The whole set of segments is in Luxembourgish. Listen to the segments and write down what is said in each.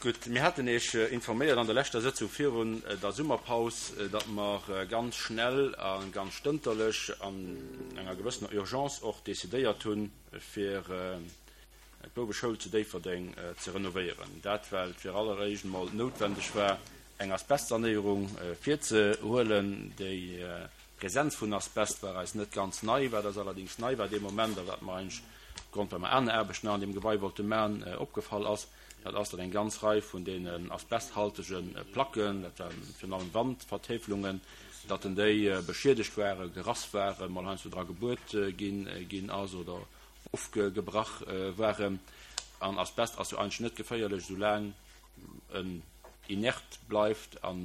Gutt, mir haten Iech informéiert an der leschter Sëtzung virun der Summerpaus, datt mer ganz schnell a ganz stënterlech an enger gewëssener Urgence och decidéiert hunn, fir d'Bouweschoul zu Déifferdeng ze renovéieren. Dat well et fir alleréischt emol noutwendeg war, eng Asbestsanéierung virzehuelen. Déi Presenz vun Asbest war eis net ganz nei. Wat eis allerdéngs nei war dee Moment a wat mer eigentlech opgrond, well mer aner Aarbechten nach an deem Gebai wollte maachen, opgefall ass, dat ass, datt eng ganz Rei vun deenen asbesthaltege Placken, dat waren virun allem Wandvertäfelungen, datt en déi beschiedegt waren, gerass waren, mol heiansdo dra gebuert ginn ass oder ofgebrach waren. An Asbest ass jo eigentlech net geféierlech, soulaang en inert bleift an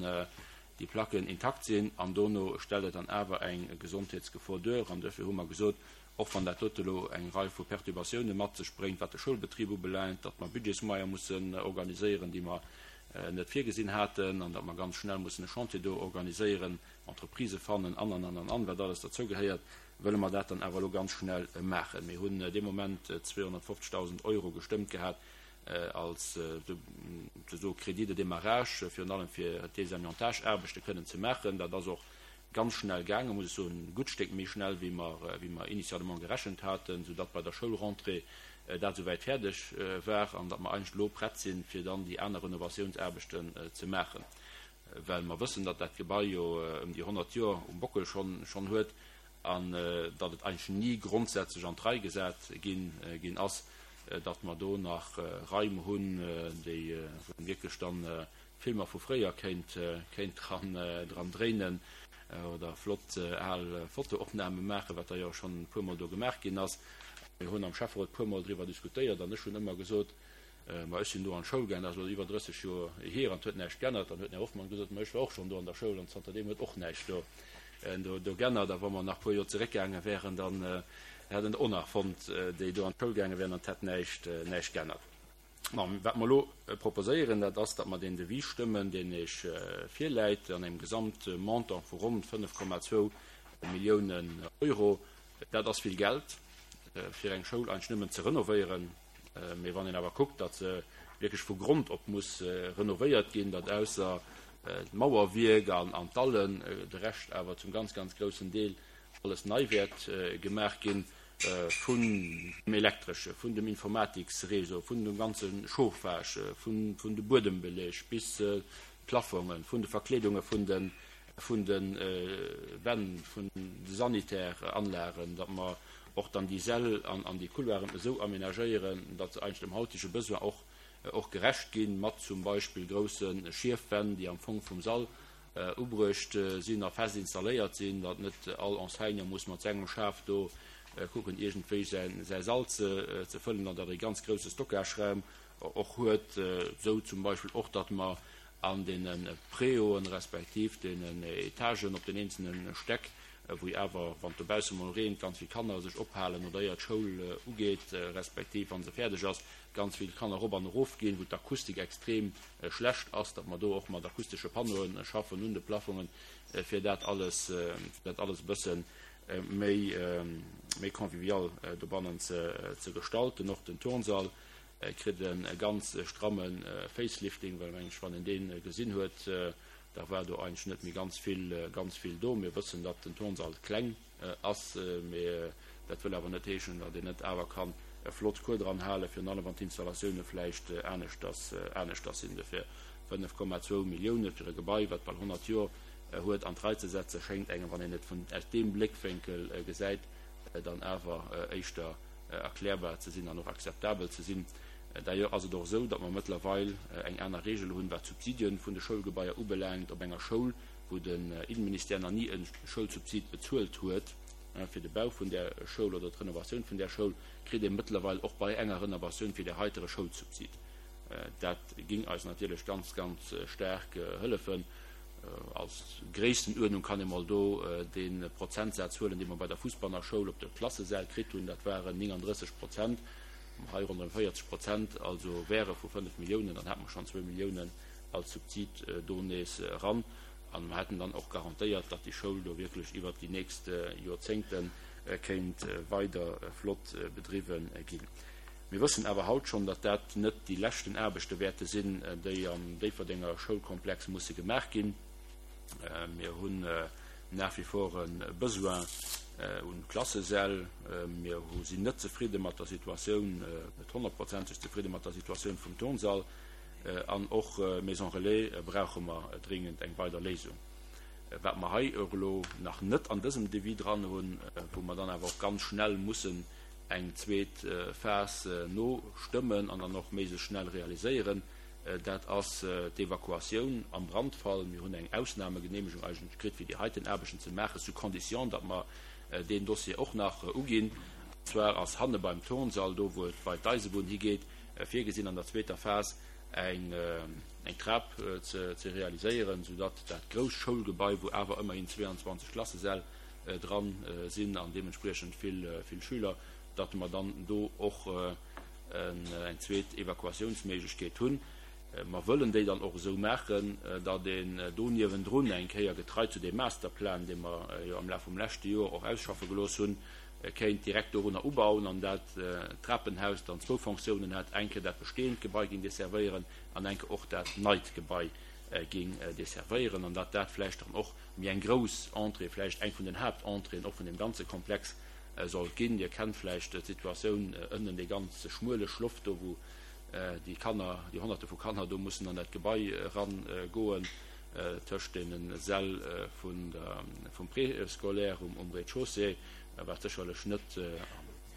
déi Placken intakt sinn. An dono stellt et dann awer eng Gesondheetsgefor duer. An duerfir hu mer gesot, och wann dat dote elo eng Rei vu Perturbatioune mat sech bréngt, wat de Schoulbetrib ubelaangt, datt mer Budgetsmoyer mussen organiséieren, déi mer net virgesinn haten, an datt mer ganz schnell mussen e Chantier do organiséieren, Entreprisë fannen an, an, an, an, an, wat alles derzougehéiert, wëlle mer dat dann awer elo ganz schnell maachen. Mir hunn dee Moment 250.000 Euro gestëmmt gehat als souzesoe Crédit de démarrage, virun allem fir d'Désamiantage-Aarbechte kënnen ze maachen. Dat ass och ganz schnell gaangen, muss ech soen, e gutt Stéck méi schnell, wéi mer, wéi mer initialement gerechent haten, soudatt bei der Schoulrentrée dat esouwäit fäerdeg war an datt mer eigentlech elo prett sinn, fir dann déi aner Renovatiounsaarbechten ze maachen. Well mer wëssen, datt dat Gebai jo ëm déi 100 Joer um Bockel schonn huet an datt et eigentlech ni grondsätzlech an d'Rei gesat ginn ass, datt mer do nach Raim hunn, déi wou een wierklech dann Filmer vu fréier kéint dran dréinen oder flott al Fotoopname maachen, wat da jo schonn e puermol do gemaach ginn ass. Mir hunn am Schäfferot e puermol driwwer diskutéiert an ech hunn ëmmer gesot, Ma ech sinn do an d'Schoul gaangen, dat ass elo iwwer 30 Joer hier, an et huet näischt g'ännert. Dann huet den Här Hoffmann gesot, Ma ech war och schonn do an der Schoul, an zanterdeem huet och näischt do do g'ännert. A wa mer nach e puer Joer zeréckgaange wären, dann hätt en der och nach fonnt, déi do an d'Schoul gaange wären, an et hätt näischt näischt g'ännert. Bon, wat mer elo proposéieren, dat ass, datt mer deen Devis stëmmen, deen Iech virläit, an engem Gesamtmontant vu ronn 5,2 Milliounen Euro. Dat ass vill Geld, fir eng Schoul eigentlech nëmmen ze renovéieren. Mee wann een awer kuckt, datt se wierklech vu Grond op muss renovéiert ginn, datt ausser d'Mauerwierk an d'Allen de Rescht awer zum ganz, ganz groussen Deel alles nei wäert gemaach ginn, vun dem Elektresche, vun dem Informatiksreseau, vun dem ganze Chauffage, vun de Buedembeleg bis d'Plafongen, vun de Verkleedunge vun de vun de Wänn, vun de Sanitäranlagen, datt mer och dann déi Säll an déi Couloiren esou aménagéieren, datt se eigentlech dem hautege Besoin och och gerecht ginn, mat zum Beispill grousse Schiefwänn, déi am Fong vum Sall ubruecht sinn a fest installéiert sinn, datt net all Enseignant muss mat sengem Schaf do kucken, iergendwéi säi Sall ze fëllen, an datt ee ganz grousse Stockageraum och huet, esou zum Beispill och, datt mer an deene Préauen respektiv deenen Etagen op den eenzelne Stäck, wou jo awer, wann et dobausse mol reent, ganz vill Kanner sech ophalen oder éier d'Schoul ugeet, respektiv wa se fäerdeg ass, ganz vill Kanner erop an erof ginn, wou d'Akustik extrem schlecht ass, datt mer do och mat akustesche Panneaue schaffen un de Plafongen, fir dat alles, fir dat alles e bësse méi, méi convivial dobannen ze gestalten. Och den Turnsall Kritt e ganz stramme Facelifting, well mengen ech, wann een dee gesinn huet, da war do eigentlech net méi ganz vill, ganz vill do. Mir wëssen, datt den Turnsall kleng ass, mee dat wëll awer net heeschen, datt een net awer kann e flott Cours dran halen, virun allem wann d'Installatioune vläicht aneschters, aneschters sinn. Dofir 5,2 Millioune fir e Gebai, wat bal 100 Joer huet, an d'Rei ze setzen, schéngt engem, wann een et vun, aus deem Bléckwénkel gesäit, dann awer éischter erklärbar ze sinn an och akzeptabel ze sinn. D'ailleurs ass et och esou, datt mer mëttlerweil eng aner Regel hunn, wat d'Subsidien vun de Schoulgebaier ubelaangt. Op enger Schoul, wou den Innenministère nach ni e Schoulsubsid bezuelt huet fir de Bau vun där Schoul oder d'Renovatioun vun där Schoul, kritt ee mëttlerweil och bei enger Renovatioun fir där heiter e Schoulsubsid. Dat ging eis natierlech ganz, ganz staark hëllefen. Als Gréisstenuerdnung kann ee mol do dee Prozentsaz huelen, dee mer bei der Fussbanner Schoul op de Klassesäll kritt hunn. Dat waren 39 Prozent, hei ronderëm 40 Prozent, also wäre vu 5 Milliounen, dann hätte mer schonn zwou Milliounen als Subsid do nees eran. A mer hätten dann och garantéiert, datt déi Schoul do wierklech iwwert déi nächst Joerzéngte kéint weider flott bedriwwe ginn. Mir wëssen awer haut schonn, datt dat net déi leschten Aarbechte wäerte sinn, déi am Déifferdenger Schoulkomplex musse gemaach ginn. Mir hunn nach wie vor e Besoin un Klassesäll. Mir sinn net zefridde mat der Situatioun, net honnertprozenteg zefridde mat der Situatioun vum Turnsall. An och Maison Relais brauche mer dringend eng weider Léisung. Wat mer hei och elo nach net an dësem Devis dran hunn, wou mer dann awer och ganz schnell mussen eng zweet Phas nostëmmen an dann och méiglechst schnell realiséieren, dat ass d'Evakuatioun am Brandfall. Mir hunn eng Ausnahmegenehmegung eigentlech kritt, fir déi heiten Aarbechten ze maachen, sous condition, datt mer deen Dossier och nach uginn. An zwar ass hanne beim Turnsall, do wou et bei d'Eisebunn higeet, virgesinn an der zweeter Phas eng Trap ze realiséieren, soudatt dat grousst Schoulgebai, wou awer ëmmerhin 22 Klassesäll dran sinn an deementspriechend vill Schüler, datt mer dann do och eng zweet Evakuatiounsméiglechkeet hunn. Mer wëllen déi dann och esou maachen, datt een do niewendrun eng Kéier, getrei zu deem Masterplan, dee mer jo am Laf vum leschte Joer och ausschaffe gelooss hunn, kéint direkt dorunner ubauen an dat Trapenhaus dann zwou Fonctiounen hätt, eng Kéier dat bestehend Gebai géing desservéieren an eng Kéier och dat neit Gebai géing desservéieren an datt dat vläicht dann och méi eng grouss Entrée, vläicht eng vun den Haaptentréeën och vun deem ganze Komplex sollt ginn. Dir kennt vläicht d'Situatioun ënnen, dee ganz schmuele Schloff do, wou déi Kanner, déi Honnerte vu Kanner do mussen an dat Gebai erangoen, tëscht deene Säll vun der, vum Préscolaire um Rez-de-chaussée, wat sécherlech net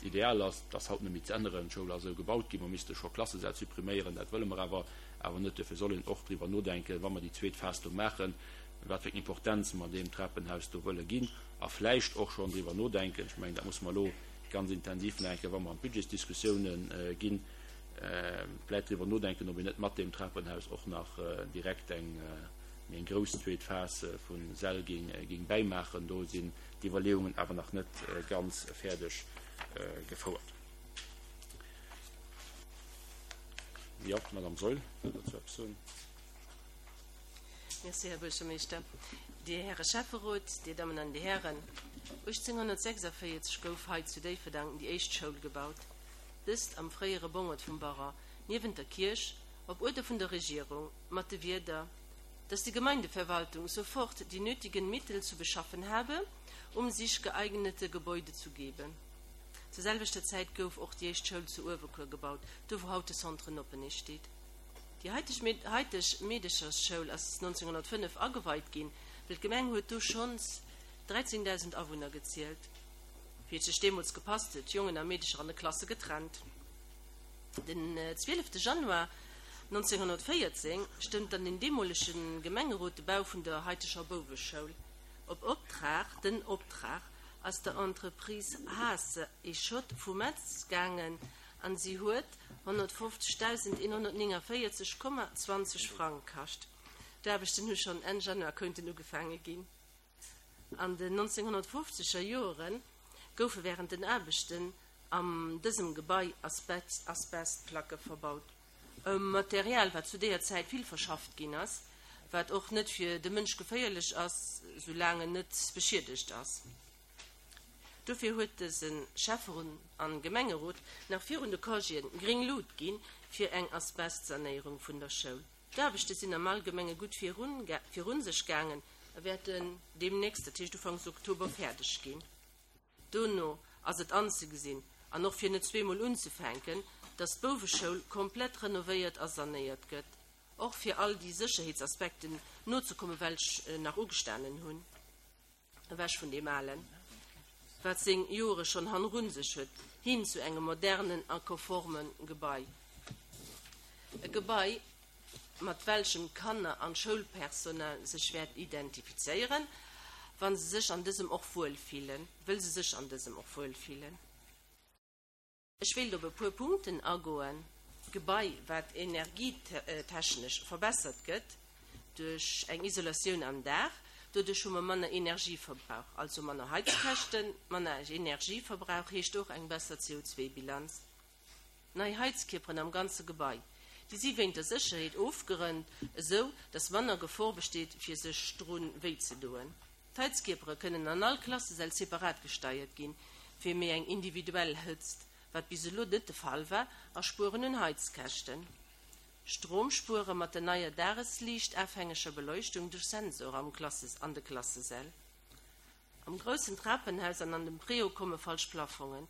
ideal ass. Dat ass haut net méi ze änneren. D'Schoul ass esou gebaut ginn, mer misste scho Klassesäll suppriméieren, dat wëlle mer awer awer net. Duerfir soll een och driwwer nodenken, wa mer déi zweet Phas do maachen, wat fir eng Importenz mer deem Trapenhaus do wëlle ginn a vläicht och schonn driwwer nodenken, ech mengen, dat musse mer elo ganz intensiv nach eng Kéier, wa mer an d'Budgetsdiskussiounen ginn, vläicht driwwer nodenken, ob een net mat deem Trapenhaus och nach direkt eng méi eng grouss zweet Phas vu Säll géing bäimaachen. Do sinn d'Iwwerleeungen awer nach net ganz fäerdeg gefouert. Jo, d'Madame Saeul wëll dozou eppes soen. Merci, Här Buergermeeschter. Dir Häre Schäfferot, Dir Dammen an Dir Hären, 1846 gouf hei zu Déifferdang déi éischt Schoul gebaut, dëst am fréiere Bongert vum Baron, niewent der Kierch, op Uerder vun der Regierung, mat de Wierder, dass die Gemeindeverwaltung sofort die nötigen Mittel zu beschaffen habe, um sich geeignete Gebäude zu geben. Zur selwechter Zäit gouf och déi éischt Schoul zu Uewerkuer gebaut, do wou haut de Centre Noppenich steet. Déi haiteg Meedechersschoul ass 1905 ageweit ginn, well d'Gemeng huet do schonns 13.000 Awunner gezielt. Wéi et sech deemools gepasst huet, Jongen a Meedecher an de Klasse getrennt. Den 12 Januar 1914 stëmmt dann den deemolege Gemengerot de Bau vun der haiteger Bouweschoul. Op Optrag, den Optrag ass der Entreprise Haase et Schott vu Metz gaangen an si huet 150.149,20 Frang kascht. D'Aarbechten hu schonn Enn Januar konnten ugefaange ginn. An den 1950er Joere goufe wärend den Aarbechten am dësem Gebai Asbestplacke verbaut. E Material, wat zu deeër Zäit vill verschafft ginn ass, wat och net fir de Mënsch geféierlech ass, soulaang en net beschiedegt ass. Dofir huet dëse Schäfferot an Gemengerot nach virun de Congéen gréng Lut ginn fir eng Asbestsanéierung vun der Schoul. D'Aarbechte sinn am Allgemenge gutt virun sech gaangen a wäerten deemnächst, dat heescht ufanks Oktober, fäerdeg ginn. Dono ass et anzegesinn, an och fir net zweemol unzefänken, datt d'Bouweschoul komplett renovéiert a sanéiert gëtt, och fir all déi Sécherheetsaspekten nozekommen, welch nach ugestanen hunn. Ewech vun deem Alen, wat seng Joere schonn hannerun sech huet, hin zu engem modernen a konforme Gebai. E Gebai, mat welchem d'Kanner an d'Schoulpersonal sech wäert identifizéieren, wa se sech an dësem och wuel fillen, wëll se sech an dësem och wuel fillen. Ech wéilt op e puer Punkten agoen. D'Gebai, wat energietechnesch verbessert gëtt duerch eng Isolatioun am Daach. Doduerch hu mer manner Energieverbrauch, also manner Heizkäschten. Manner Energieverbrauch heescht och eng besser CO2-Bilanz. Nei Heizkierperen am ganze Gebai. Déi si wéint der Sécherheet ofgerënnt, esou datt manner Gefor besteet, fir sech dru wéi ze doen. D'Heizkierpere kënnen an all Klassesäll separat gesteiert ginn, fir méi eng individuell Hëtzt. wat bis elo net de Fall war, a spueren un Heizkäschten. Strom spuere mat der neier dagesliichtafhängeger Beleuchtung duerch Sensore am Klasses an de Klassesäll. Am groussen Trapenhaus an an dem Préau komme falsch Plafongen,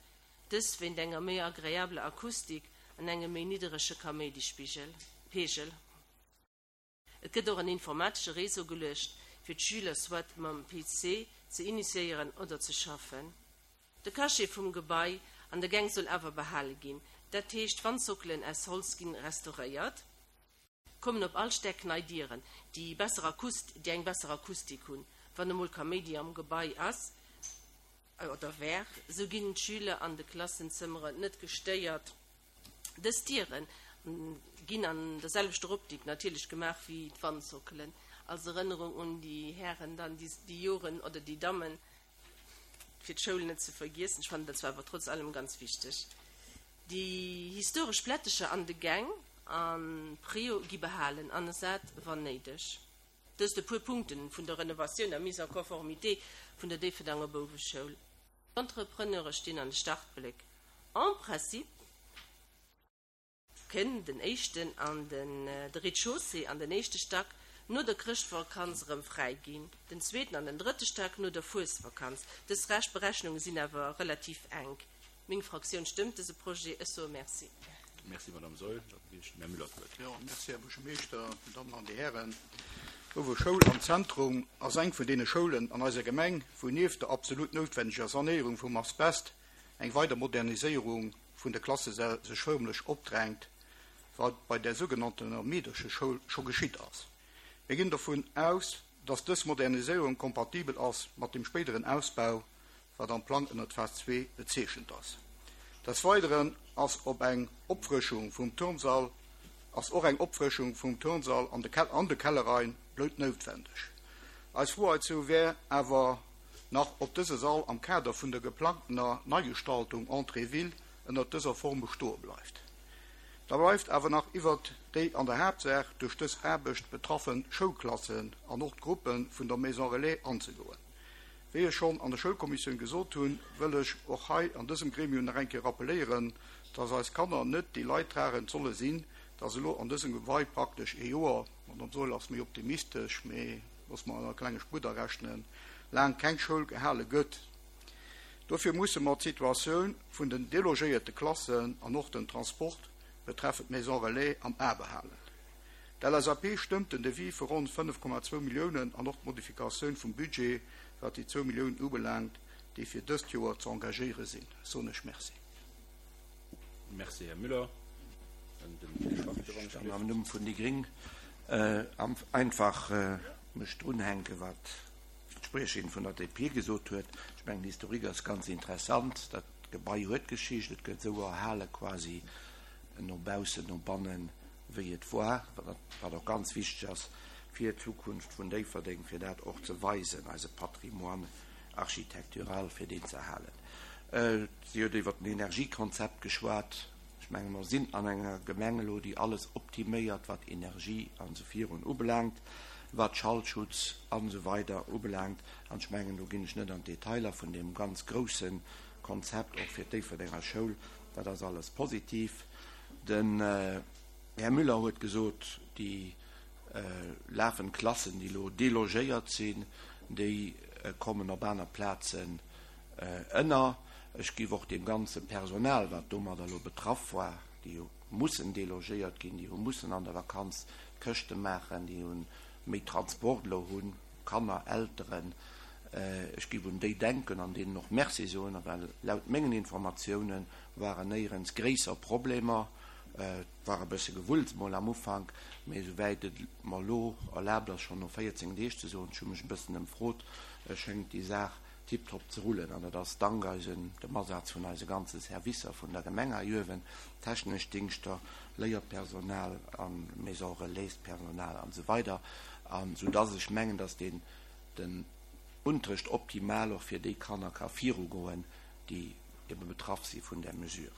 dës wéint enger méi agreabler Akustik an engem méi nidderege Kaméidispigel, Pegel. Et gëtt och en informatesche Réseau geluecht, fir d'Schüler soit mam PC ze initiéieren oder ze schaffen. De Cachet vum Gebai an der Gäng soll awer behale ginn, dat heescht d'Wandsockelen aus Holz ginn restauréiert. Kommen op all Stäck nei Dieren, déi besser Akust déi eng besser Akustik hunn. Wann emol Kaméidi am Gebai ass oder war, sou ginn d'Schüler an de Klassenzëmmeren net gestéiert. Dës Diere ginn an der selwechter Optik natierlech gemaach wéi d'Wandsockelen, als Erënnerung un déi Hären dann, déi déi Joren, oder déi Dammen, fir d'Schoul net ze vergiessen. Ech fannen dat zwar awer trotz allem ganz wichteg. Déi historesch Plättecher an de Gäng a Préau gi behalen an ersat wann néideg. Dëst e puer Punkten vun der Renovatioun a Mise en conformité vun der Déifferdanger Bouweschoul. D'Entrepreneure stinn an de Startbléck. En principe kënn den éischten an den de Rez-de-chaussée an den éischte Stack no der Chrëschtvakanz erëm fräi ginn, den zweeten an den drëtte Stack no der Fuesvakanz. Dës Berechnunge sinn awer relativ enk. Meng Fraktioun stëmmt dëse Projet. Ech soe Merci. Merci, Madame Saeul. Da ginn ech dem Här Müller d'Wuert. Jo, merci, Här Buergermeeschter, Dir Dammen an Dir Hären. D'Bouwe Schoul am Zentrum ass eng vun deene Schoulen an eiser Gemeng, wou nieft der absolut noutwendeger Sanéierung vum Asbest eng weider Moderniséierung vun de Klassesäll sech förmlech opdrängt, wat bei där sougenanntener Meedercheschoul scho geschitt ass. Mir ginn dovun aus, dass dës Moderniséierung kompatibel ass mat dem spéideren Ausbau wat am Plang ënnert Phas zwee bezeechent ass. Des Weideren ass op eng Opfrëschung vum Turnsall ass och eng Opfrëschung vum Turnsall an de an de Kellerraim bloutnoutwendeg. Eis Fro heizou wär awer nach, ob dëse Sall am Kader vun der geplangtener Neigestaltung Entrée Ville ënnert dëser Form bestoe bleift. Da bleift awer nach iwwert déi an der Haaptsaach duerch dës Aarbecht betraffe Schoulklassen an och d'Gruppe vun der Maison Relais anzegoen. Wéi ech schonn an der Schoulkommissioun gesot hunn, wëll ech och hei an dësem Gremium nach eng Kéier rappeléieren, dass eis Kanner net déi Leidtragend solle sinn, dass elo an dësem Gebai praktesch ee Joer, d'Madame Saeul ass méi optimistesch, mee loosse mer e klenge Spudder rechnen, laang keng Schoul gehale gëtt. Dofir musse mer d'Situatioun vun den delogéierte Klassen an och den Transport betreffend d'Maison relais am A behalen. D'LSAP stëmmt den Devis vu ronn 5,2 Milliounen an och d'Modifikatioun vum Budget, wat déi zwou Milliounen ubelaangt, déi fir dëst Joer ze engagéiere sinn, soen ech Merci. Merci, Här Müller. Dann den Här Schwachtgen, wann ech Ech kann am Numm vun déi gréng einfach mech drunhänken, wat d'Spriecherin vun der DP gesot huet. Ech mengen, d'Historik ass ganz interessant. Dat Gebai huet Geschicht. Et gëtt esou erhale quasi no baussen, no bannen, wéi et war, wat och ganz wichteg ass fir d'Zukunft vun Déifferdeng, fir dat och ze weisen, eise Patrimoine architectural, fir deen ze erhalen. Si huet iwwert den Energiekonzept geschwat. Ech menge mer sinn an enger Gemeng elo, déi alles optiméiert, wat Energie an esou virun ubelaangt, wat Schallschutz an esou weider ubelaangt. An ech mengen, do ginn ech net an d'Detailer vun deem ganz grousse Konzept och fir d'Déifferdenger Schoul. Dat ass alles positiv. Den Här Müller huet gesot, déi lafend Klassen, déi elo delogéiert sinn, déi kommen op aner Plazen ënner. Ech géif och deem ganze Personal, wat domadder elo betraff war, déi hu mussen delogéiert ginn, déi hu mussen an der Vakanz d'Këschte maachen, déi hu méi Transport elo hunn, Kanner, Elteren, ech géif un déi denken an deenen och Merci soen, well laut mengen Informatiounen waren néierens gréisser Problemer. Et war e bësse Gewulls mol am Ufank, mee esouwäit et mer elo erlaabt ass, schonn no 14 Deeg ze soen, ech hu mech e bëssen ëmfrot, schéngt déi Saach tiptop ze rullen. An dat ass dank eisen, dem Asaz vun eise ganze Servicer vun der Gemeng hei uewen, technesch Dingschter, Léierpersonal a Maison Relais-Personal an esou weider, an soudass ech mengen, dass deen, den Unterrecht optimal och fir déi Kanner ka virugoen, déi ebe betraff si vun där Mesure.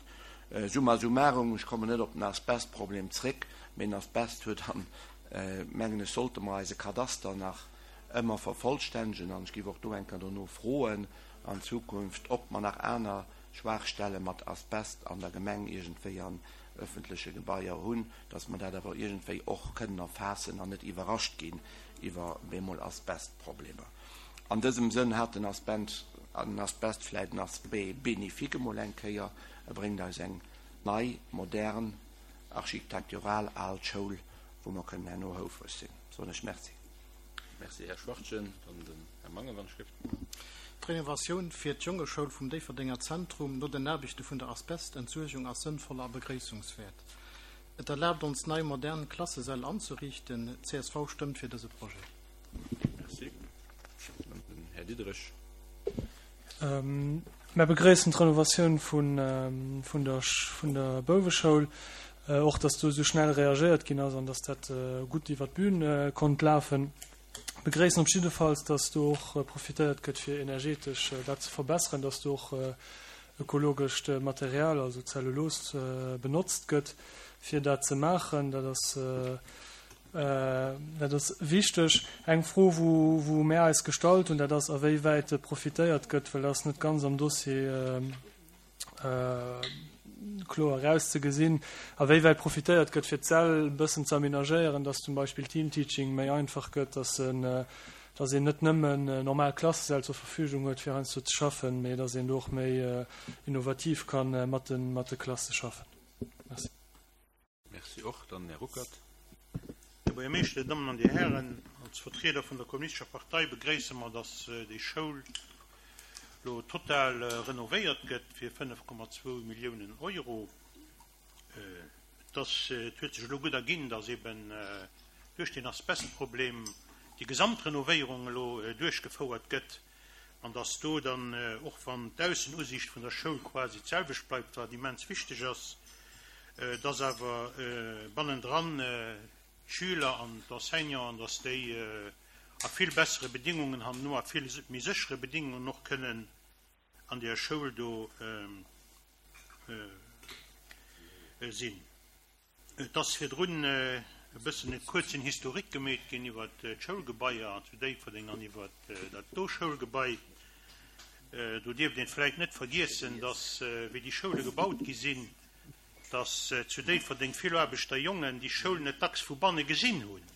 Summa summarum, ech kommen net op den Asbestproblem zréck, mee den Asbest huet an, mengen ech, sollte mer eise Kadaster nach ëmmer vervollstännegen an ech géif och do eng Kéier dono froen an Zukunft, ob mer nach aner. Schwaachstelle mat Asbest an der Gemeng iergendwéi an öffentleche Gebaier hunn, dass mer dat awer iergendwéi och kënnen erfaassen an net iwwerrascht ginn iwwer bemol Asbestproblemer. An dësem Sënn hat den Asbest vläicht en Aspect bénéfique emol eng Kéier, e bréngt eis eng nei, modern, architektural al Schoul, wou mer kënnen herno houfreg sinn. Soen ech Merci. Merci, Här Schwachtgen. Dann den Här Mangen, wann ech géif. D'Renovatioun fir d'Jongeschoul vum Déifferdenger Zentrum no den Aarbechte vun der Asbestentsuergung ass sënnvoll a begréissungswäert. Et erlaabt ons nei modern Klassesäll anzeriichten. Csv stëmmt fir dëse Projet. Merci. Dann den Här Diderich. Mär begréissen d'Renovatioun vun vun der vun der Bouweschoul, och datt do esou schnell reagéiert ginn ass an datt dat gutt iwwer d'Bün konnt lafen. Begréissen op jiddefalls, datt do och profitéiert gëtt fir energetesch dat ze verbesseren, datt do och ökologescht Material, also Zellulos, benotzt gëtt fir dat ze maachen. Dat ass Dat ass wichteg. Eng Fro, wou mär eis gestallt hunn, dat ass, awéiwäit profitéiert gëtt, well dat ass net ganz am Dossier kloer erauszegesinn, awéiwäit profitéiert gëtt, fir d'Säll e bëssen ze aménagéieren, dass zum Beispill Teamteaching méi einfach gëtt, dass een net nëmmen normal Klassesäll zur Verfügung huet, fir heiansdo ze schaffen, mee dass een do och méi innovativ ka mat de Klasse schaffen. Merci. Merci och. Dann Här Ruckert. Här Buergermeeschter, Dir Dammen an Dir Hären, als Vertrieder vun der Kommunistescher Partei begréisse mer, dass déi Schoul elo total renovéiert gëtt fir 5,2 Milliounen Euro. Et ass, et huet sech elo gutt erginn, dass eben duerch deen Asbestproblem déi Gesamtrenovéierung elo duerchgefouert gëtt an dass do dann, och wann d'Aussenusiicht vun der Schoul quasi d'selwecht bleift, wat immens wichteg ass, dass awer bannendran d'Schüler an d'Enseignanten, dass déi a vill bessere Bedingungen hanno, a vill méi séchere Bedingungen och kënnen an där Schoul do sinn. Et ass virdrun e bëssen e kuerzen Historique gemeet ginn iwwer d'Schoulgebaier zu Déifferdeng an iwwer dat do Schoulgebai. Do dierft een vläicht net vergiessen, dass, wéi déi Schoule gebaut gi sinn, dass zu Déifferdeng vill Aarbechterjongen déi Schoul net dacks vu banne gesinn hunn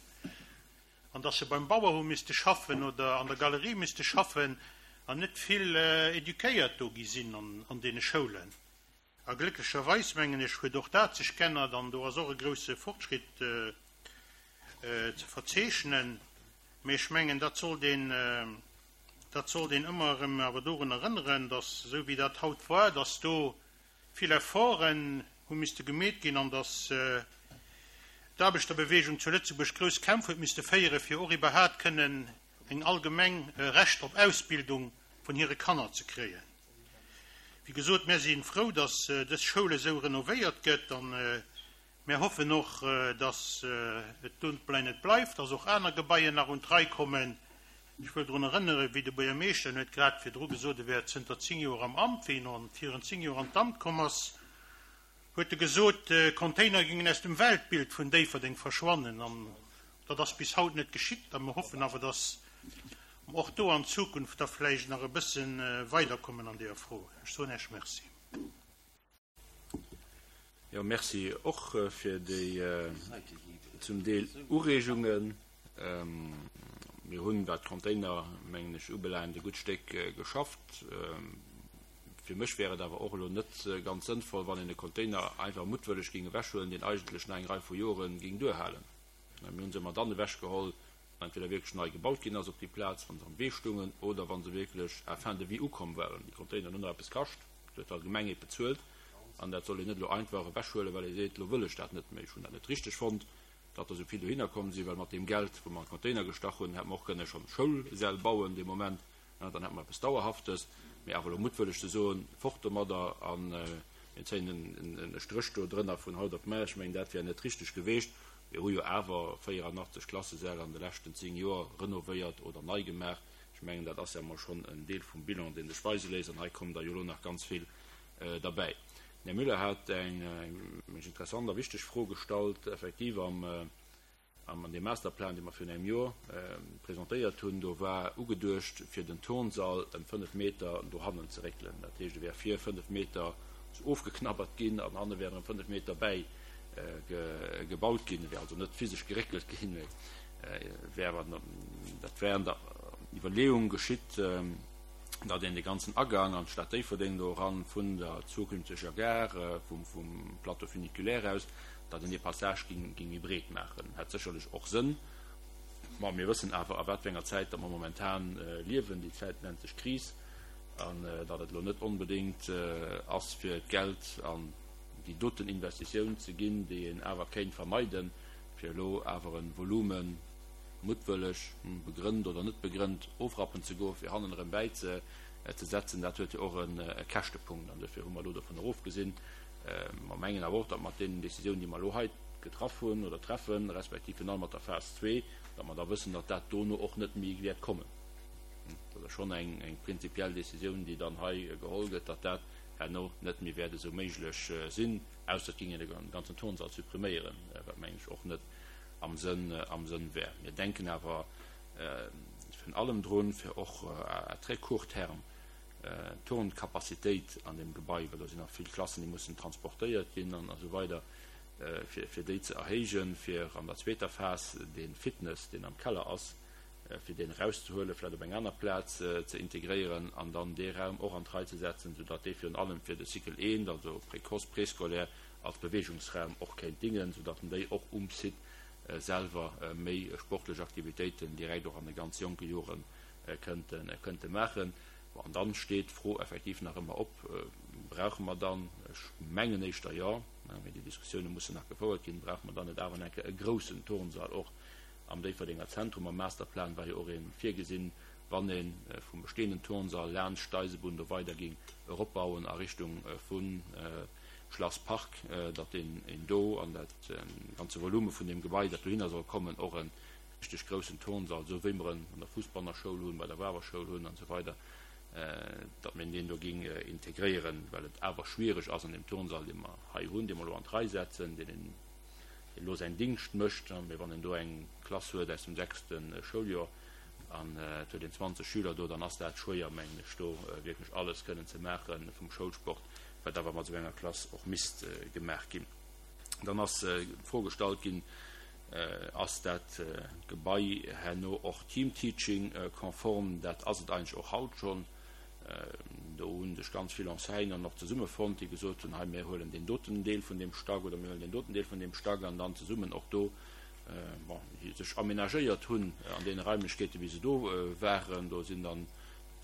an dass se beim Bauer hu misste schaffen oder an der Galerie misste schaffen an net vill éduquéiert do gi sinn an deene Schoulen. A glécklecherweis, mengen ech, huet och dat sech g'ännert an do ass och e grouse Fortschritt ze verzeechnen. Mee ech mengen, dat sollt een, dat sollt een ëmmer erëm awer dorun erënneren, dass, esou wéi dat haut war, dass do vill Efforten hu misste gemeet ginn an dass d'Aarbechterbewegung zu Lëtzebuerg grouss Kämpf huet misste féieren, fir och iwwerhaat kënnen eng allgemeng Recht op Ausbildung vun hire Kanner ze kréien. Wéi gesot, mär si frou, dass dës Schoul esou renovéiert gëtt a mär hoffen och, dass et dobäi net bleift, dass och aner Gebaien nach un d'Rei kommen. Ech wëll drun erënneren, wéi de Buergermeeschter, en huet grad virdru gesot, e wär zënter 10 Joer am Amt, wéi en virun 10 Joer an d'Amt komm ass, huet e gesot, d'Container géingen aus dem Weltbild vun Déifferdeng verschwannen. An dat ass bis haut net geschitt a mir hoffen awer, dass mer och do an Zukunft da vläicht nach e bësse weiderkommen an deeër Fro. Ech soen Iech Merci. Jo, Merci och fir déi zum Deel Ureegungen. Mir hunn, wat d'Container, mengen ech, ubelaangt, e gutt Stéck geschafft. Fir mech wär et awer och elo net ganz sënnvoll, wann een e Container einfach muttwëlleg géing ewechhuelen, deen eigentlech nach eng Rei vu Jore géing duerhalen. Mir hu se ëmmer dann ewechgeholl, wann entweder wierklech nei gebaut ginn ass op déi Plaz, wa se am Wee stungen oder wa se wierklech à fin de vie ukomm waren. Déi Containeren hunn nach eppes kascht, dat huet d'Allgemengheet bezuelt an dat soll een net elo einfach ewechhuelen, well ee seet, elo wëll ech dat net méi. Ech hunn dat net richteg fonnt, datt der esou vill dohinner komm sinn, well mat deem Geld, wou mer an d'Container gestach hunn, hätte mer och kënne schonn Schoulsäll bauen dee Moment. Dann hätte mer eppes Dauerhaftes. Mee awer elo muttwëlleg ze soen, fort domadder a mir zéien e Stréch do drënner vun haut op mar, ech mengen, dat wär net richteg geweecht. Mir hu jo awer 84 Klassesäll an de leschten 10 Joer renovéiert oder nei gemaach. Ech mengen, dat ass jo emol schonn en Deel vum Bilan, dee sech weise léisst. An hei kommen der jo elo nach ganz vill derbäi. Den Här Müller hat eng interessant a wichteg Fro gestallt, effektiv am. An deem Masterplan, dee mer virun engem Joer presentéiert hunn, do war ugeduecht, fir den Turnsall ëm 5 Meter dohannen ze réckelen. Dat heescht, e wär vir 5 Meter ofgeknabbert ginn an hanne wär erëm 5 Meter bäi gebaut ginn. E wär also net physesch geréckelt ginn, mee wär awer, dat wär an der Iwwerleeung geschitt, datt een de ganzen Agang an d'Stad Déifferdeng do eran vun der zukünfteger Gare, vum Plateau funiculaire aus, datt een dee Passage ging méi breet maachen, hätt sécherlech och Sënn. Ma mir wëssen awer, a wat fir enger Zäit datt mer momentan liewen. Déi Zäit nennt sech Kris. An datt et elo net onbedéngt ass, fir d'Geld an déi doten Investitioun ze ginn, déi een awer kéint vermeiden, fir elo awer e Volume muttwëlleg, begrënnt oder net begrënnt, ofrappen ze goen, fir hannen erëm bäizesetzen, dat huet jo och e Käschtepunkt. An dofir hu mer elo dovun erofgesinn, Mer mengen awer och, datt mat deenen Décisionen, déi mer elo hei getraff hunn oder treffen, respektiv virun allem mat der Phas zwee, datt mer da wëssen, datt dat dono och net méi wäert kommen. Dat ass schonn eng prinzipiell Décisioun, déi dann hei geholl gëtt, datt dat herno net méi wäert esou méiglech sinn, ausser et géing een de ganzen Turnsall suppriméieren, wat, mengen ech, och net am Sënn, am Sënn wär. Mir denken awer virun allem drun, fir och à très court terme Turncapacitéit an deem Gebai, well do sinn nach vill Klassen, déi mussen transportéiert ginn an esou weider, fir déi ze erhéijen, fir an der zweeter Phas dee Fitness, deen am Keller ass, fir deen erauszehuelen, vläicht op eng aner Plaz ze integréieren an dann dee Raum och an d'Rei ze setzen, soudatt dee virun allem fir de Cycle I, also Précoce, Préscolaire, als Beweegungsraum och kéint dingen, soudatt en déi och um Site selwer méi sportlech Aktivitéiten direkt och an de ganz jonke Jore kënnte maachen. Bon, an dann steet d'Fro effektiv nach ëmmer op, Brauche mer dann, ech mengen éischter jo, mee déi Diskussioune mussen nach gefouert ginn, brauche mer dann net awer enke e groussen Turnsall och am Déifferdenger Zentrum? Am Masterplan war jo och ee virgesinn, wann ee vum bestehenden Turnsall laanscht d'Eisebunn do weider géing eropbauen a Richtung vu Schlass Park, datt een do an dat ganze Volume vun deem Gebai, dat dohinner soll kommen, och e richteg groussen Turnsall, esou wéi mer en an der Fussbanner Schoul hunn, bei der Wawer Schoul hunn an esou weider, datt mir deen do géing integréieren, well et awer schwiereg ass an deem Turnsall, dee mer hei hunn, dee mer elo an d'Rei setzen, deen een elo säin Dingscht mécht, mee wann een do eng Klass huet aus dem sechste Schouljoer an et huet een 20 Schüler do, dann ass dat schwéier, mengen ech, do wierklech alles kënnen ze maache vum Schoulsport, wat awer mat esou enger Klass och misst gemaach ginn. Dann ass d'Fro gestallt ginn, Ass dat Gebai herno och Team-Teaching-konform? Dat ass et eigentlech och haut schonn. Do hu sech ganz vill Enseignanten och zesummefonnt, déi gesot hunn, hei mir huelen deen doten Deel vun deem Stack oder mir huelen deen doten Deel vun deem Stack an dann zesummen och do, bon, sech amenagéiert hunn an deene Raimlechkeeten, wéi se do waren. Do sinn dann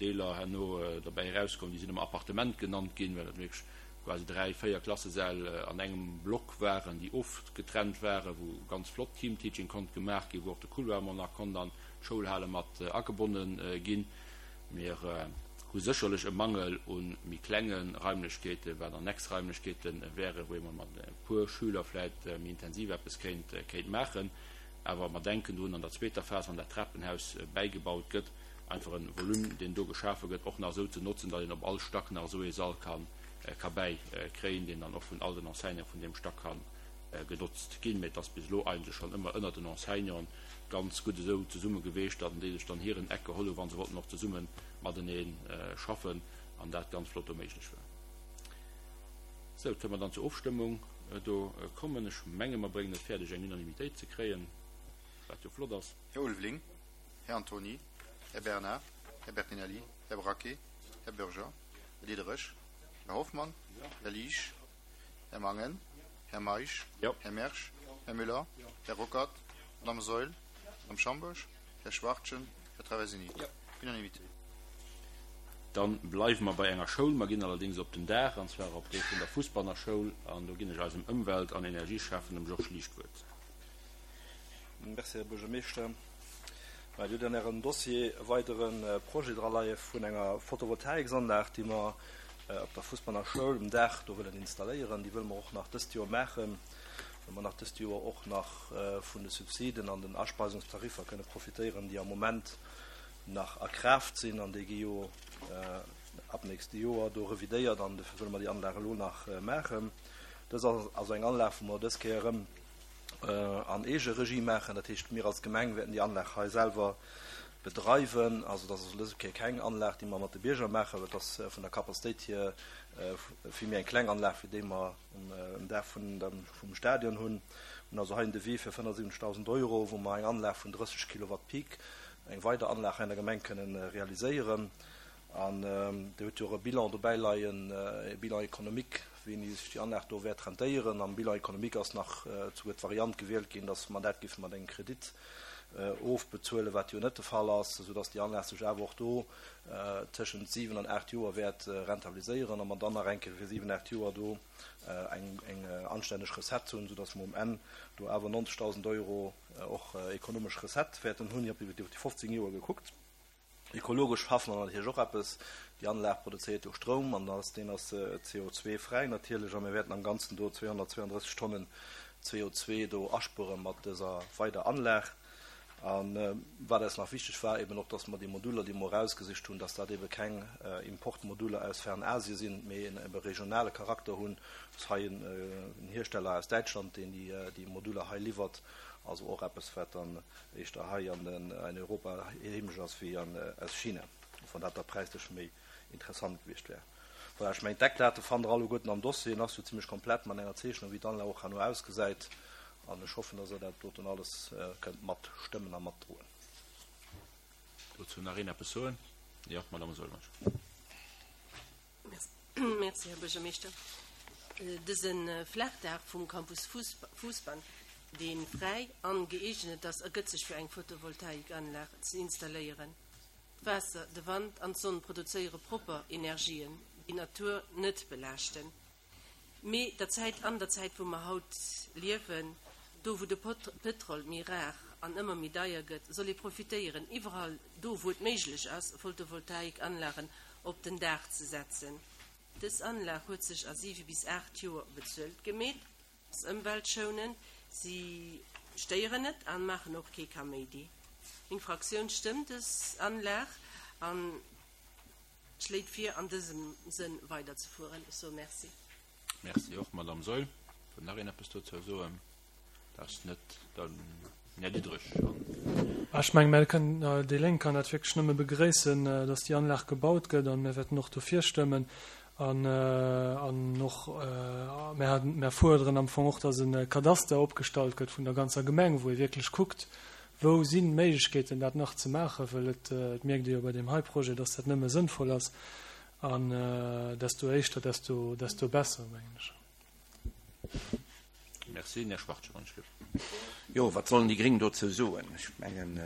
Deeler herno derbäi erauskomm, déi sinn ëmmer Appartement genannt ginn, well dat wierklech quasi 3, 4 Klassesäll an engem Block waren, déi ofgetrennt waren, wou ganz flott Teamteaching konnt gemaach ginn, wou och de Couloir mol nach konnt an d'Schoulhale mat agebonne ginn. Mir hu sécherlech e Mangel u méi klenge Raimlechkeeten, wat Annexraimlechkeete wären, wou ee mol mat e puer Schüler vläicht méi intensiv eppes kéint kéint maachen. Awer mer denken drun, an der zweeter Phas, wann dat Trapenhaus bäigebaut gëtt, einfach e Volume, deen do geschafe gëtt, och nach esou ze notzen, datt een op all Stack nach esou ee Sall ka ka bäi kréien, deen dann och vun all den Enseignanten vun deem Stack ka genotzt ginn. Mee et ass bis elo eigentlech schonn ëmmer ënnert den Enseignanten ganz gutt esou zesumme geweecht, datt déi sech dann hiren Eck geholl hunn, wa se wollten och zesumme matenee schaffen an dat ganz flott do méiglech war. Sou, kënne mer dann zur Ofstëmmung do kommen. Ech menge mer bréngen et fäerdeg eng Unanimitéit ze kréien, wat jo flott ass. Här Ulveling. Här Antony, Här Bernard, Här Bertinelli, Här Braquet, Här Bürger, Här Diderich, Här Hoffmann, Här Liesch, Här Mangen, Här Meisch, Här Mersch, Här Müller, Här Ruckert, Madame Saeul, Madame Schambourg, Här Schwachtgen, Här Traversini. Unanimité. Dann bleiwe mer bei enger Schoul, mer ginn allerdéngs op den Daach, an zwar op dee vun der Fussbanner Schoul, an do ginn ech eisem Ëmwelt an Energieschäffen, dem Georges Liesch, d'Wuert. Merci, Här Buergermeeschter. Dir hutt an Ärem Dossier e weidere Projet draleie vun enger Photovoltaiksanlag, déi mer op der Fussbanner Schoul um Daach do wëllen installéieren. Déi wëlle mer och nach dëst Joer maachen, well mer nach dëst Joer och nach vun de Subsiden an den Aspeisungstariffer kënne profitéieren, déi am Moment nach a Kraaft sinn. An déi gi jo ab nächste Joer do revidéiert an dofir wëlle mer déi Anlag elo nach maachen. Dës ass also eng Anlag, wou mer dës Kéier erëm. an Eegeregie maachen. Dat heescht, mir als Gemeng wäerten déi Anlag hei selwer bedreiwen. Also dat ass also dës Kéier keng Anlag, déi mer mat de Bierger maachen, well et ass vun der Capacitéit hier vill méi eng kleng Anlag wéi déi mer um Daach vum Stadion hunn. Mir hunn also hei en Devis fir 75.000 Euro, wou mer eng Anlag vun 30 Kilowatt Peak, eng weider Anlag hei an der Gemeng kënnen realiséieren. An Dir hutt jo och e Bilan dobäi leien, e Bilan économique, wéini sech déi Anlag do wäert rentéieren. Am Bilan économique ass nach souguer d'Variant gewielt ginn, dass mer dat géife mat engem Kredit ofbezuelen, wat jo net de Fall ass, soudass déi Anlag sech awer och do tëschent 7 an 8 Joer wäert rentabiliséieren a mer dann nach eng Kéier fir 7, 8 Joer do eng anstänneg Recette hunn, soudass mer um Enn do awer 90.000 Euro och ekonomesch Recette wäerten hunn, iwwer déi 15 Joer gekuckt. Ekologesch schaffe mer natierlech och eppes. Déi Anlag produzéiert jo Stroum an ass deen ass CO2-fräi natierlech a mir wäerten am Ganzen do 232 Tonnen CO2 do aspuere mat dëser weider Anlag. A wat eis nach wichteg war, eben och, dass mer déi Moduler, déi mer erausgesicht hunn, dass dat ebe keng Importmoduler aus Fernasie sinn, mee en ebe regionale Charakter hunn. Ass hei en Hiersteller aus Däitschland, deen déi Moduler hei liwwert. Also och eppes, wat dann éischter hei an Europa heemesch ass wéi aus China, och wann dat da präislech méi interessant gewiescht wär. Voilà, ech mengen d'Eckdate fannt der alleguerten am Dossier, en ass jo zimlech komplett mat enger Zeechnung wéi d'Anlag och herno ausgesäit an ech hoffen, dass der dat doten alles kënnt matstëmmen a matdroen. Dozou nach een eppes soen? Jo, d'Madame Sulmann. Merci, Här Buergermeeschter. Dëse Flaachdaach vum Campus Fousbann, dee fräi an gëeegnet ass, ergëtt sech fir eng Photovoltaikanlag ze installéieren. D'Waasser, de Wand an d'Sonn produzéiere propper Energien, déi d'Natur net belaaschten. Mee der Zäit, an der Zäit wou mer haut liewen, do wou de Pëtrol méi rar an ëmmer méi deier gëtt, soll ee profitéieren, iwwerall do wou et méiglech ass, Photovoltaikanlagen op den Daach ze setzen. Dës Anlag huet sech a 7 bis 8 Joer bezuelt gemeet, ass ëmweltschounend, si stéieren net an maachen och kee Kaméidi. Meng Fraktioun stëmmt dës Anlag an schléit vir, an dësem Sënn weiderzefueren. Ech soe Merci. Merci och, Madame Saeul. Wëll nach een eppes dozou soen? Dat ass net den Här Diderich. Ech mengen, mir kënnen, déi Lénk kann dat wierklech nëmme begréissen, dass déi Anlag gebaut gëtt, a mir wäerten och dofir stëmmen. An, an och, mir, mir fuerderen am Fong och, dass e Kadaster opgestallt gëtt vun der ganzer Gemeng, wou ee wierklech kuckt, Wou sinn d'Méiglechkeeten, dat nach ze maachen? Well et mierkt ee jo bei deem hei Projet, dass dat nëmme sënnvoll ass. An desto éischter, desto, desto besser, mengen ech. Merci. Den Här Schwartje, wann ech gelift. Jo, wat sollen déi Gréng dozou soen? Ech mengen.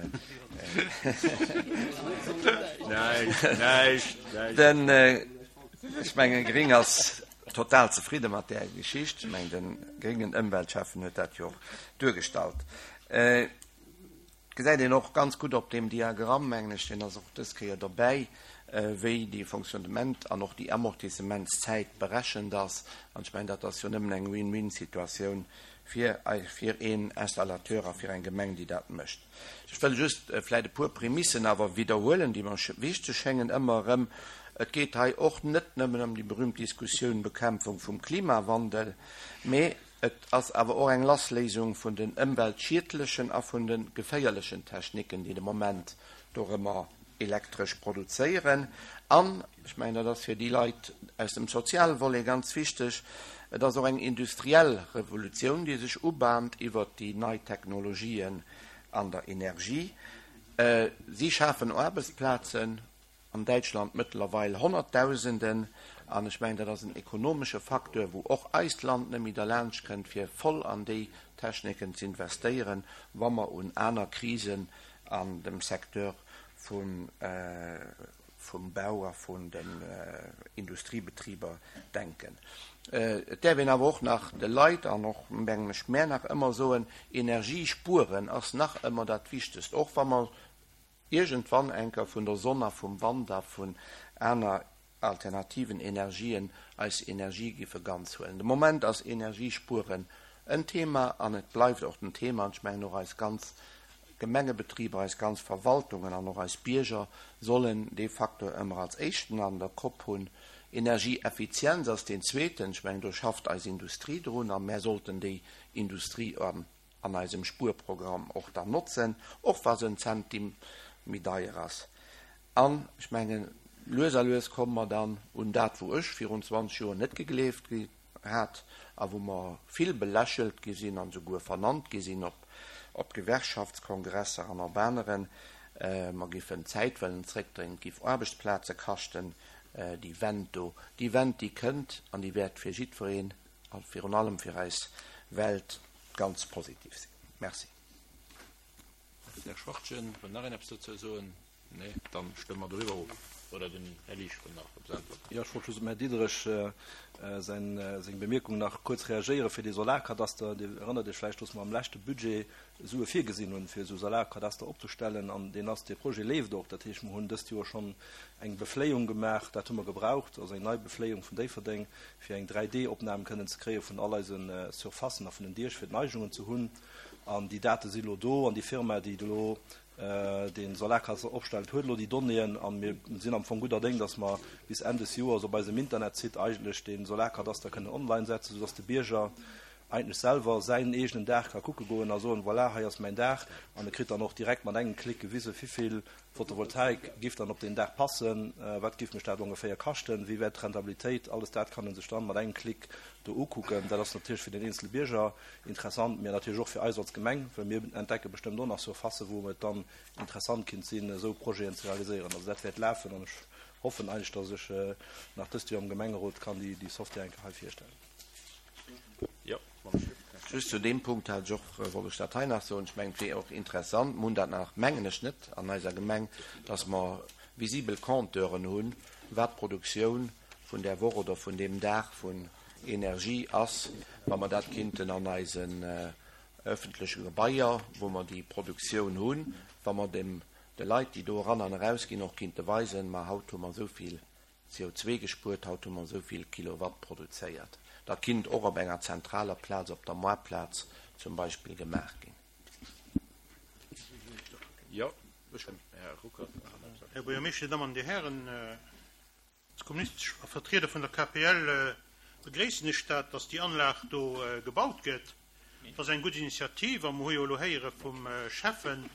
Näischt, näischt, näischt. Den, ech mengen, Gréng ass total zefridde mat där Geschicht. Ech mengen, de gréngen Ëmweltschäffen huet dat jo och duergestallt. Et gesäit een och ganz gutt op deem Diagramm, mengen ech, deen ass och dës Kéier dobäi, wéi dee Fonctionnement an och déi Amortissementszäit berechent ass. An ech mengen, dat ass jo nëmmen eng Win-win-Situatioun fir, fir een Installateur a fir eng Gemeng, déi dat mécht. Ech wëll just vläicht e puer Prämissen awer widderhuelen, déi mer wichteg schéngen ëmmer erëm. Et geet hei och net nëmmen ëm déi berühmt Diskussioun Bekämpfung vum Klimawandel, mee Et ass awer och eng Lassléisung vun den ëmweltschiedlechen a vun de geféierlechen Techniken, déi de Moment dorëmmer elektresch produzéieren. An, ech mengen, dat ass fir déi Leit aus dem soziale Volet ganz wichteg, et ass och eng industriell Revolutioun, déi sech ubahnt iwwert déi nei Technologien an der Energie. Si schafen Aarbechtsplazen. An Däitschland mëttlerweil Honnertdausenden. An ech mengen, dat ass en ekonomesche Facteur, wou och eist Land net méi derlaanscht kënnt, fir voll an déi Techniken ze investéieren, wa mer un aner Krisen an dem Secteur vum Bau a vun den Industriebetriber denken. Et däerf een awer och nach de Leit an och, mengen ech, mär nach ëmmer soen, Energie spueren ass nach ëmmer dat Wichtegst, och wa mer iergendwann enker vun der Sonn a vum Wand a vun aner alternativen Energien eis Energie giffe ganz huelen. De Moment ass Energiespueren en Thema an et bleift och den Thema an ech mengen och eis ganz Gemengebetriber, eis ganz Verwaltungen an och eis Bierger sollen dee Facteur ëmmer als éischten an der Kopp hunn. Energieeffizienz ass deen zweeten. Ech mengen do schafft eis Industrie drun a mär sollten déi Industrie an. an eisem Spuerprogramm och dann notzen, och wa se en Zentim méi deier ass. An ech mengen, lues a lues komme mer dann un dat, wou ech virun 20 Joer net gegleeft hat a wou mer vill belächelt gi sinn an esouguer vernannt gi sinn op op Gewerkschaftskongresser an op aneren, mer giffen d'Zäit wëllen zréckdréinen, et giff Aarbechtsplaze kaschten, déi Wend do. Déi Wend, déi kënnt an déi wäert fir jiddwereen a virun allem fir eis Welt ganz positiv sinn. Merci. Här Schwachtgen, wëll nach een eppes dozou soen? Nee, dann stëmme mer doriwwer of. Oder den Här Liesch wëll nach eppes äntwerten. Jo, ech wollt just dem Här Diderich säin, seng Bemierkung nach kuerz reagéieren fir dee Solarkadaster. Dir erënnert Iech vläicht, dass mer am leschte Budget Sue virgesinn hunn, fir esou Solarkadaster opzestellen. An deen ass, dee Projet leeft och. Dat heescht, mer hunn dëst Joer schonn eng Befléiung gemaach, dat hu mer gebraucht, also eng nei Befléiung vun Déifferdeng, fir eng 3D-Opnam kënnen ze kréie vun all eise Surfacen a vun den Diech, fir d'Neigungen ze hunn. An déi Date si lo do an déi Firma, déi elo dee Solarkadaster opstellt, huet elo déi Donnéeën. A mir sinn am Fong gudder Déng, dass mer bis Enn des Joers op eisem Internetsite eigentlech dee Solarkadaster kënnen online setzen, soudass de Bierger eigentlech selwer säin eegenen Daach ka kucke goen a soen, voilà, hei ass mäin Daach. An e kritt dann och direkt mat engem Klick gewisen, wivill Photovoltaik giff dann op deen Daach passen, wat giff mech dat ongeféier kaschten, wéi wär d'Rentabilitéit, alles dat kann en sech dann mat engem Klick do ukucken. Dat ass natierlech fir den eenzele Bierger interessant, mä natierlech och fir eis als Gemeng, well mir entdecke bestëmmt och nach Surfacen, wou et dann interessant kinnt sinn, esou Projeten ze realiséieren. Also dat wäert lafen an ech hoffen eigentlech, dass ech nach dëst Joer am Gemengerot kann déi Software eng Kéier hei virstellen. Just zu deem Punkt hat ech och, wollt ech dat hei nach soen, ech mengen, et wier och interessant, mer hunn dat nach, mengen ech, net an eiser Gemeng, dass mer visibel Compteuren hunn, wat d'Produktioun vun där Woch oder vun deem Dag vun Energie ass, wa mer dat kinnten an eisen öffentleche Gebaier, wou mer déi Produktioun hunn, wa mer dem de Leit, déi do eran an erausginn, och kinnte weisen, ma haut hu mer esou vill CO2 gespuert, haut hu mer esou vill Kilowatt produzéiert. Dat kinnt och op enger zentraler Plaz, op der Moartplaz zum Beispill, gemaach ginn. Här Buergermeeschter, Dir Dammen an Dir Hären, als kommunistesch Vertrieder vun der KPL begréissen ech dat, dass déi Anlag do gebaut gëtt. Dat ass eng gutt Initiativ a mer hu jo elo héiere vum Schäffen,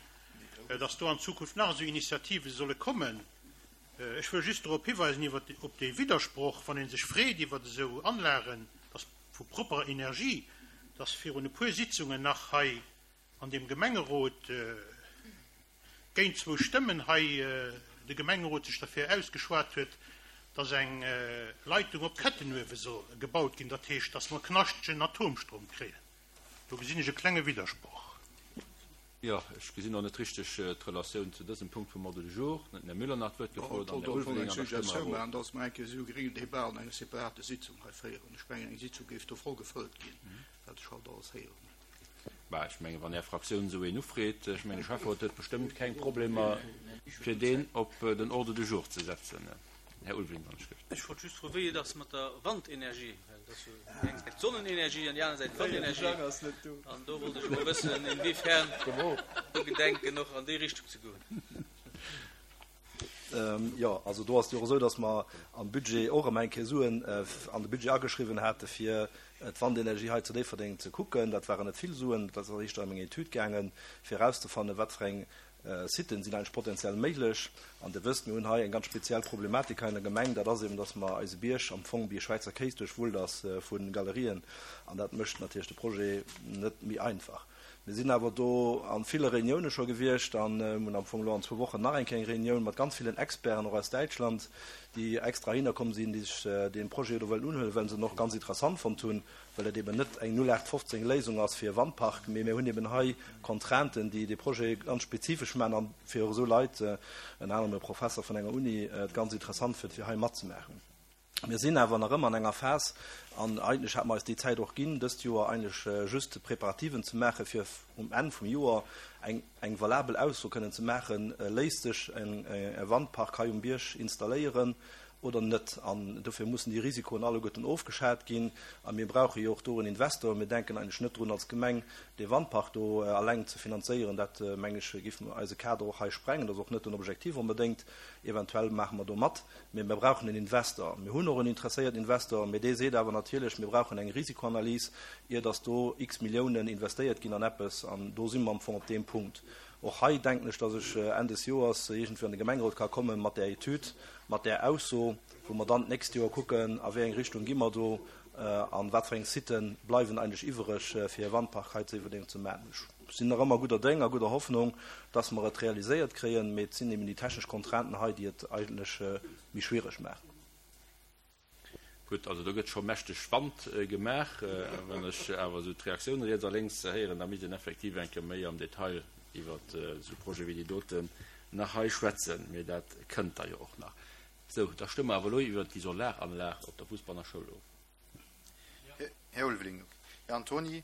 dass do an Zukunft nach esou Initiative solle kommen. Ech wëll just dorop hiweisen, iwwer op dee Widdersproch, wann ee sech freet iwwer esou Anlagen, dass vu propperer Energie, dass virun e puer Sitzungen nach hei an deem Gemengerot géint zwou Stëmmen hei de Gemengerot sech derfir ausgeschwat huet, dass eng Leitung op Kettenuewe soll gebaut ginn, dat heescht, dass mer knaschtegen Atomstrom kréien. Do gesinn ech e klenge Widdersproch. Jo, ech gesinn och net richteg d'Relatioun zu dësem Punkt vum Ordre du jour. Dann huet den Här Müller nach d'Wuert gefrot an den Här Ulveling an da stëmme mer of. Dass mer eng Kéier esou e gréngen Débat an enger separater Sitzung hei féieren. Ech mengen, eng Sitzung géif do voll gefëllt ginn, wat ech haut alles héieren hunn. Bah, ech mengen, wann Är Fraktioun esou een ufreet, ech mengen, de Schäfferot huet bestëmmt keng Problemer, fir deen op den Ordre du jour ze setzen. Här Ulveling, wann ech gëft. Ech wollt just froen, wéi et ass mat der Wandenergie, well et ass jo déi eng Säit d'Sonnenenergie an déi aner Säit d'Wandenergie. An do wollt ech emol wëssen, inwiefern do gedenken och an déi Richtung ze goen. Jo, also do ass et jo och esou, datt mer am Budget och erëm eng Kéier Suen an de Budget ageschriwwen hate fir d'Wandenergie hei zu Déifferdeng ze kucken. Dat waren net vill Suen, dat ass éischter ëm eng Etüd gaangen, fir erauszefannen, wat fir eng Siten sinn eigentlech potenziell méiglech. An Dir wësst, mir hunn hei eng ganz speziell Problematik hei an der Gemeng, dat ass eben, dass mer eise Bierg am Fong wéi e Schwäizer Kéis duerchwullt ass vu Galerien. An dat mécht natierlech de Projet net méi einfach. Mir sinn awer do a ville Reunioune scho gewiescht an hunn am Fong elo an zwou Wochen nach eng Kéier eng Reunioun mat ganz villen Experten, och aus Däitschland, déi extra heihinner komm sinn, déi sech dee Projet do wëllen unhuelen, well se en och ganz interessant fonnt hunn. well et eben net eng 0815 Léisung ass fir e Wandpark, mee mir hunn eben hei Contrainten, déi dee Projet ganz spezifesch maachen an fir och esou Leit, ënner anerem e Professer vun enger Uni, et ganz interessant fënnt, fir hei matzemaachen. Mir sinn awer nach ëmmer an enger Phas, an eigentlech hate mer eis déi Zäit och ginn, dëst Joer eigentlech just Preparativen ze maachen, fir um Enn vum Joer eng eng valabel Ausso kënnen ze maachen, Léisst sech e Wandpark hei um Bierg installéieren? Oder net. An dofir mussen déi Risikoen alleguerten ofgeschat ginn. A mir brauche jo och do en Investor. Mir denken eigentlech net drun, als Gemeng dee Wandpark do eleng ze finanzéieren. Dat, mengen ech, géif eise Kader och hei sprengen. Dat ass och net den Objektiv onbedéngt. Eventuell maache mer do mat. Mee mir brauchen en Investor. Mir hunn och en interesséierten Investor, mee dee seet awer natierlech, mir brauchen eng Risikoanalys, ier datt do x Milliounen investéiert ginn an eppes. An do si mer am Fong op deem Punkt. Och hei denken ech, datt ech Enn des Joers iergendwéi an de Gemengerot ka komme mat där Etüd, mat där Ausso, wou mer dann d'nächst Joer kucken, a wéi eng Richtung gi mer do a wat fir eng Sitë bleiwen eigentlech iwwereg, fir e Wandpark hei zu Iwwerdeng ze maachen. Ech sinn nach ëmmer gudder Déng a gudder Hoffnung, datt mer et realiséiert kréien, mee et sinn eben déi technesch Contrainten hei, déi et eigentlech méi schwiereg maachen. Gutt, also do gëtt scho mächteg Wand gemaach. Wann ech awer esou d'Reaktioune riets a lénks héieren, da misst een effektiv eng Kéier méi am Detail iwwer esou Projete wéi déi doten nach hei schwätzen. Mee dat kënnt da jo och nach. Sou, da stëmme mer awer elo iwwer déi Solaranlag op der Fussbanner Schoul of. Här Ulveling, Här Antoni,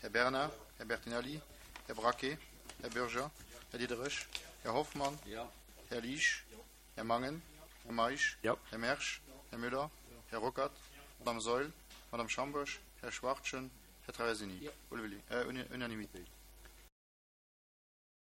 Här Bernard, Här Bertinelli, Här Braquet, Här Bürger, Här Diderich, Här Hoffmann, Här Liesch, Här Mangen, Här Meisch, Här Mersch, Här Müller, Här Ruckert, Madame Saeul, Madame Schambourg, Här Schwachtgen, Här Traversini. Unanimité.